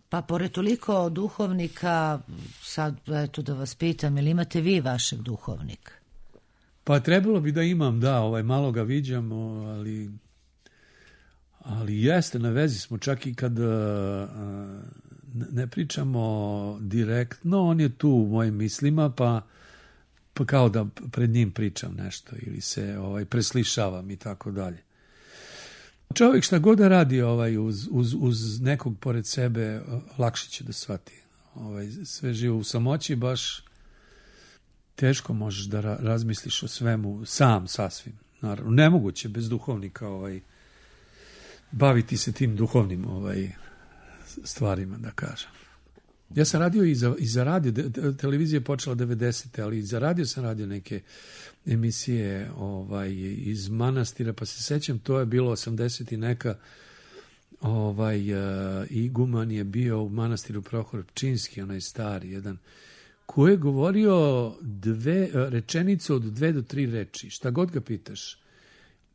S1: Pa pored toliko duhovnika, sad eto da vas pitam, ili imate vi vašeg duhovnika?
S4: Pa trebalo bi da imam, da, malo ga viđam, ali jeste, na vezi smo, čak i kad ne pričamo direktno, on je tu u mojim mislima, pa kao da pred njim pričam nešto ili se preslišavam i tako dalje. Čovjek šta god da radi uz nekog pored sebe, lakše će da shvati. Sve živo u samoći, baš teško možeš da razmisliš o svemu sam, sasvim. Naravno, nemoguće bez duhovnika baviti se tim duhovnim stvarima, da kažem. Ja sam radio i za radio, televizija je počela 90. ali i za radio sam radio neke emisije iz manastira, pa se sećam, to je bilo 80 i neka, iguman je bio u manastiru Prohor Pčinski, onaj stari, jedan, koji je govorio rečenice od 2 do 3 reči, šta god ga pitaš.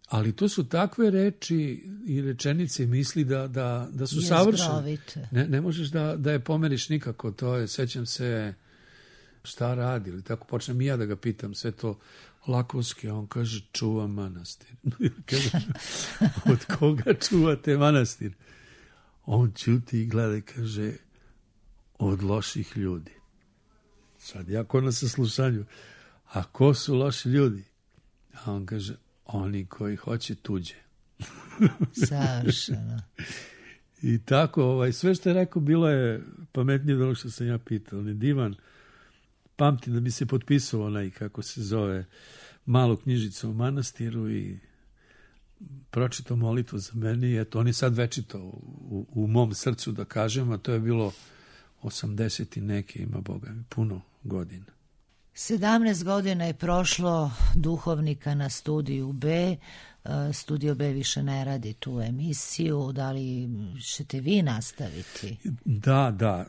S4: Ali to su takve reči i rečenice i misli da su savršene. Ne možeš da je pomeriš nikako. To je, sećam se šta radi, ili tako počnem i ja da ga pitam, sve to lakonski, a on kaže čuva manastir. Kaže, od koga čuvate manastir? On ćuti i gleda i kaže od loših ljudi. Sad ja ko na saslušanju, a ko su loši ljudi? A on kaže oni koji hoće tuđe.
S1: Savršeno.
S4: I tako, sve što je rekao bilo je pametnije od ono što sam ja pitao. On je divan. Pamtim da bi se potpisao onaj, kako se zove, malu knjižicu o manastiru i pročitao molitvu za mene. I eto, on je sad večito u mom srcu, da kažem, a to je bilo 80 i neke, ima Boga mi, puno godina.
S1: 17 godina je prošlo duhovnika na Studiju B. Studio B više ne radi tu emisiju. Da li ćete vi nastaviti?
S4: Da.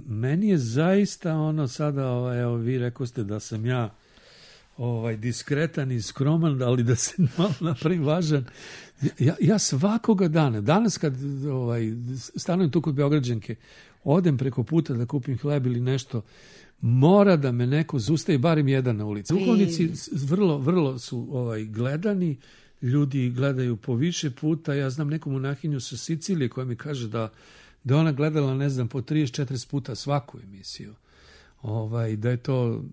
S4: Meni je zaista sada, evo vi rekoste da sam ja diskretan i skroman, ali da se malo napravim važan. Ja svakoga dana, danas kad stanujem tu kod Beograđanke, odem preko puta da kupim hleb ili nešto, mora da me neko zustavi, barem jedan na ulici. Duhovnici vrlo su gledani, ljudi gledaju po više puta. Ja znam neku monahinju sa Sicilije koja mi kaže da ona gledala, ne znam, po 30-40 puta svaku emisiju. Da je to,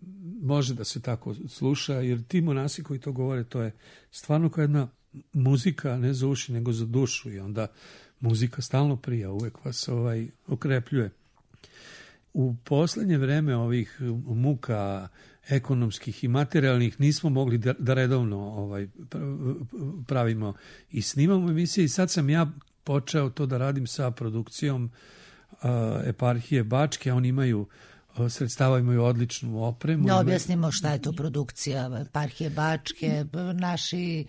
S4: može da se tako sluša, jer ti monasi koji to govore, to je stvarno kao jedna muzika, ne za uši, nego za dušu, i onda muzika stalno prija, uvek vas okrepljuje. U poslednje vreme ovih muka ekonomskih i materijalnih nismo mogli da redovno pravimo i snimamo emisije, i sad sam ja počeo to da radim sa produkcijom eparhije Bačke. Oni imaju sredstava, imaju odličnu opremu.
S1: Da objasnimo šta je to produkcija eparhije Bačke. Naši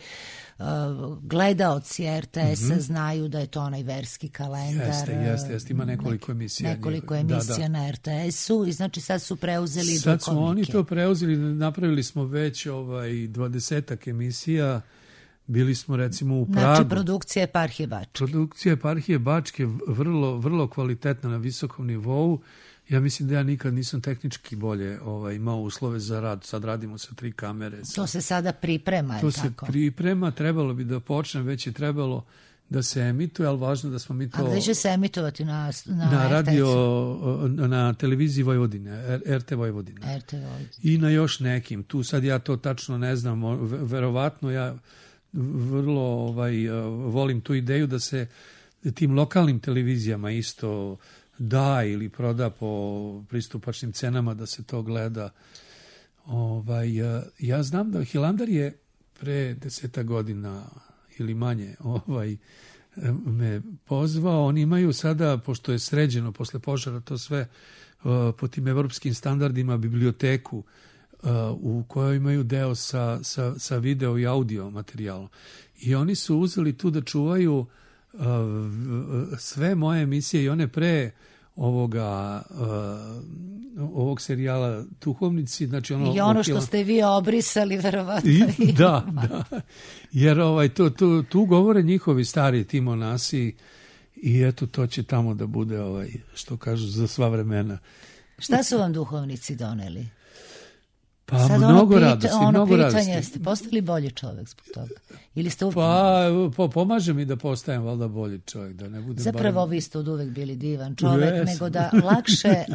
S1: gledaoci RTS-a znaju da je to onaj verski kalendar.
S4: Jeste. Ima nekoliko emisija.
S1: Na RTS-u, i znači sad su preuzeli duhovnike.
S4: Sad su oni to preuzeli, napravili smo već 20-ak emisija. Bili smo recimo u Pragu.
S1: Znači produkcija eparhije Bačke.
S4: Produkcija eparhije Bačke vrlo, vrlo kvalitetna, na visokom nivou. Ja mislim da ja nikad nisam tehnički bolje imao uslove za rad. Sad radimo sa 3 kamere.
S1: To se sada priprema,
S4: to se priprema, trebalo bi da počne, već je trebalo da se emituje, ali važno da smo mi to...
S1: A gde će se emitovati na
S4: radio,
S1: RTS-u?
S4: na televiziji Vojvodine, RT Vojvodine.
S1: RT Vojvodine.
S4: I na još nekim. Tu sad ja to tačno ne znam, verovatno ja vrlo volim tu ideju da se tim lokalnim televizijama isto da ili proda po pristupačnim cenama da se to gleda. Ja znam da Hilandar je pre 10 godina ili manje me pozvao. Oni imaju sada, pošto je sređeno posle požara to sve po tim evropskim standardima, biblioteku u kojoj imaju deo sa video i audio materijalom. I oni su uzeli tu da čuvaju sve moje emisije i one pre ovog serijala Duhovnici, znači
S1: i ono što ste vi obrisali verovatno.
S4: Da. Jer tu govore njihovi stari ti monasi i eto to će tamo da bude što kažu za sva vremena.
S1: Šta su vam duhovnici doneli?
S4: Pa
S1: sad
S4: mnogo radosti, mnogo
S1: pitanje,
S4: radosti.
S1: Jeste postali bolji čovjek zbog toga? Ili ste
S4: pomaže mi da postajem valjda bolji čovjek, da ne budem
S1: zapravo vi ste od uvek bili divan čovjek, nego da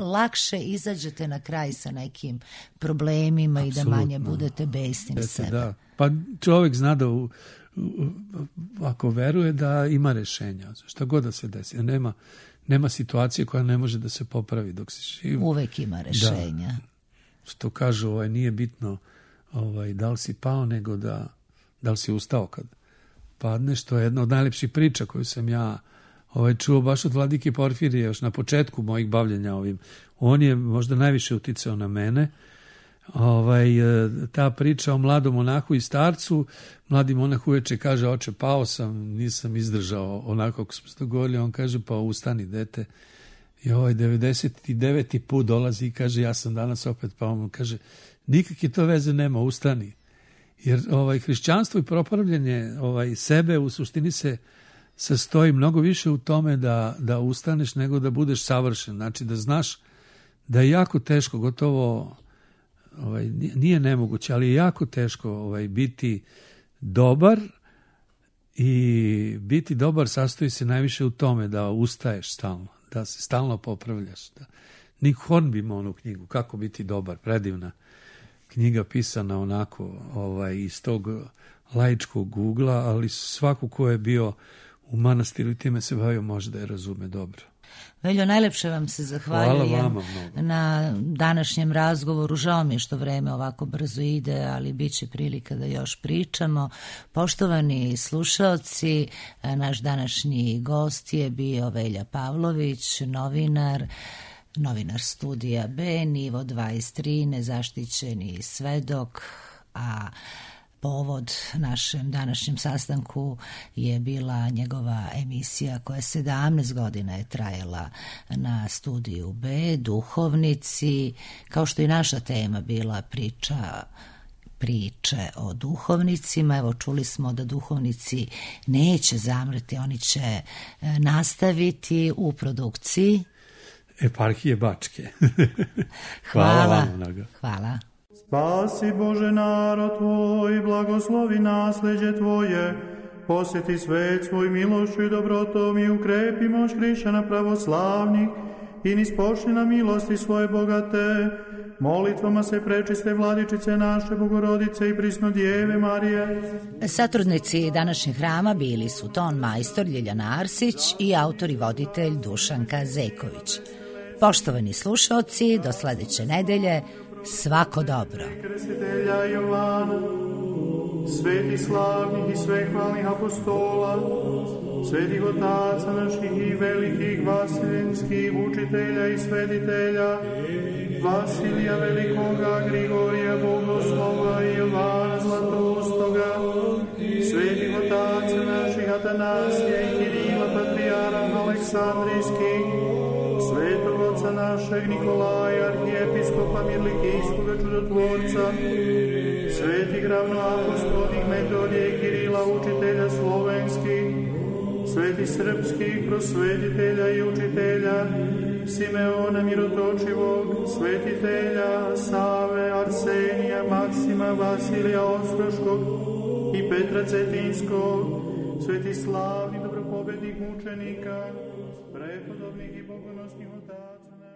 S1: lakše izađete na kraj sa nekim problemima. Absolutno. I da manje budete besni na sebe. Da.
S4: Pa čovjek zna da ako veruje da ima rešenja, šta god da se desi, nema situacije koja ne može da se popravi dok si živ.
S1: Uvek ima rešenja.
S4: Da. Što kažu, nije bitno da li si pao, nego da li si ustao kad padneš. To je jedna od najlepših priča koju sam ja čuo baš od vladike Porfirije još na početku mojih bavljenja ovim. On je možda najviše uticao na mene. Ta priča o mladom monahu i starcu. Mladi monah uveče kaže, oče, pao sam, nisam izdržao onako kako smo se dogovorili. On kaže, pa ustani, dete. I 99. put dolazi i kaže, ja sam danas opet pao. On kaže, nikakve to veze nema, ustani. Jer hrišćanstvo i propravljanje sebe u suštini se sastoji mnogo više u tome da ustaneš nego da budeš savršen. Znači da znaš da je jako teško, gotovo nije nemoguće, ali je jako teško biti dobar i biti dobar sastoji se najviše u tome da ustaješ stalno, da se stalno popravljaš. Nick Hornby ima onu knjigu, Kako biti dobar, predivna knjiga pisana onako iz tog laičkog ugla, ali svako ko je bio u manastiru i time se bavio može da je razume dobro.
S1: Veljo, najlepše vam se zahvaljujem na današnjem razgovoru. Žao mi je što vreme ovako brzo ide, ali bit će prilika da još pričamo. Poštovani slušaoci, naš današnji gost je bio Velja Pavlović, novinar studija B, nivo 23, nezaštićeni svedok, a povod našem današnjem sastanku je bila njegova emisija koja 17 godina je trajala na studiju B, Duhovnici, kao što i naša tema bila priče o duhovnicima. Evo, čuli smo da duhovnici neće zamreti, oni će nastaviti u produkciji
S4: Eparhije Bačke.
S1: Hvala
S4: vam mnogo.
S1: Hvala.
S6: Spasi Bože narod Tvoj, blagoslovi nasleđe Tvoje, posjeti svet svoj milošću i dobrotom i ukrepi moć hrišćana pravoslavnih i nispošli na milosti svoje bogate. Molitvama se prečiste Vladičice naše Bogorodice i prisno Djeve Marije.
S1: Satrudnici današnjeg hrama bili su ton majstor Ljiljana Arsić i autor i voditelj Dušanka Zeković. Poštovani slušaoci, do sledeće nedelje, svako dobro.
S6: Krstitelja Jovana, sveti slavnih i svehvalnih apostola, svetih otaca naših i velikih vaseljenskih učitelja i svetitelja, Vasilija Velikoga, Grigorija Bogoslova i Jovana Zlatoustoga, svetih otaca naših Atanasija i Kirila Patrijarha Aleksandrijskih, svetog oca našeg Nikolaja, arhijepiskopa Mirlikijskoga čudotvorca, svetih ravnoapostolnih Metodija i Kirila, učitelja slovenskih, svetih srpskih prosvetitelja i učitelja, Simeona Mirotočivog, svetitelja Save, Arsenija, Maksima, Vasilija Ostroškog i Petra Cetinskog, sveti slavni dobropočivši blagovednih mučenika, prepodobnih i pogonosnih otaca